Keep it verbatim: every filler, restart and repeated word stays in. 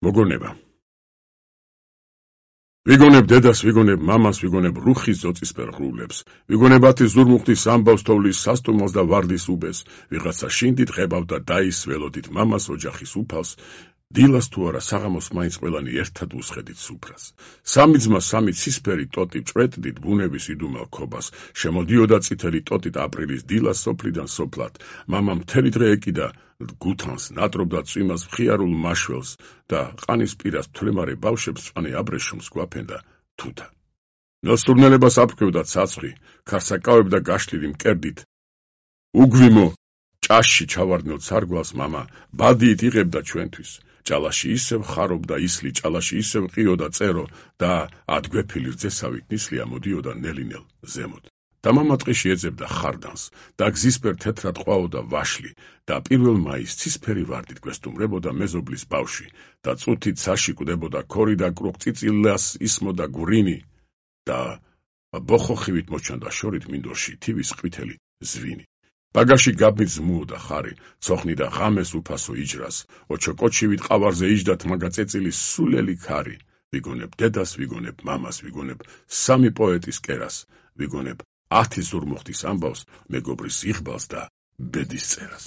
მოგონება. ვიგონებ დედას, ვიგონებ მამას, ვიგონებ რუხის ზოწისფერ ღრუბლებს, ვიგონებ ათი ზურმუხტის ამბავს თოვლის სასტუმროს და ვარდის უბეს, ვიღაცა შინდით ღებავდა დაის ველოდით მამას ოჯახის უფალს, დილას თუ არა საღამოს მაინც ყველანი ერთად უსხედით სუფრას. სამი ძმა სამი ცისფერი ტოტი ჭრეტდით ბუნების იდუმალ ქობას, შემოდიოდა წითელი ტოტით აპრილის დილას სოფლიდან სოფლად, მამა მთელი დღე ეკიდა გუთანს, ნატრობდა წვიმას მხიარულ მაშველს და ყანის პირას თვლემარე ბავშვებს წვანი აბრეშუმს გვაფენდა თუთა. ნოსტურნელებას აფრქვევდა ცაცხვი, ქარსაკავებდა გაშლილი მკერდით. უგვიმო, ჭაში ჩავარდნილ ცარგვალს მამა, ბადიით იღებდა ჩვენთვის. ჭალაში ისევ ხარობდა ისლი, ჭალაში ისევ ყიოდა წერო და ადგვეფილი რძესავით ნისლი ამოდიოდა ნელინელ ზემოთ. და მამა ტყეში ეძებდა ხარდანს და გზისფერ თეთრად ყვაოდა ვაშლი და პირველ მაისს ცისფერი ვარდით გვესტუმრებოდა მეზობლის ბავშვი და წუთით ცაში კვდებოდა ქორი და კრუხწიწილას ისმოდა გვრინი და ბოხოხივით მოჩანდა შორით მინდორში თივის ყვითელი ზვინი. ბაგაში გაბმით ზმუოდა ხარი, ცოხნი და ღამეს უფასო იჯრას, ოჩოკოჩივით ყავარზე იჯდათ მაგა წეწილის სულელი ქარი. ვიგონებ დედას, ვიგონებ მამას, ვიგონებ სამი პოეტის კერას, ვიგონებ ათი ზურმუხტის ამბავს, მეგობრის იღბალს და ბედის წერას.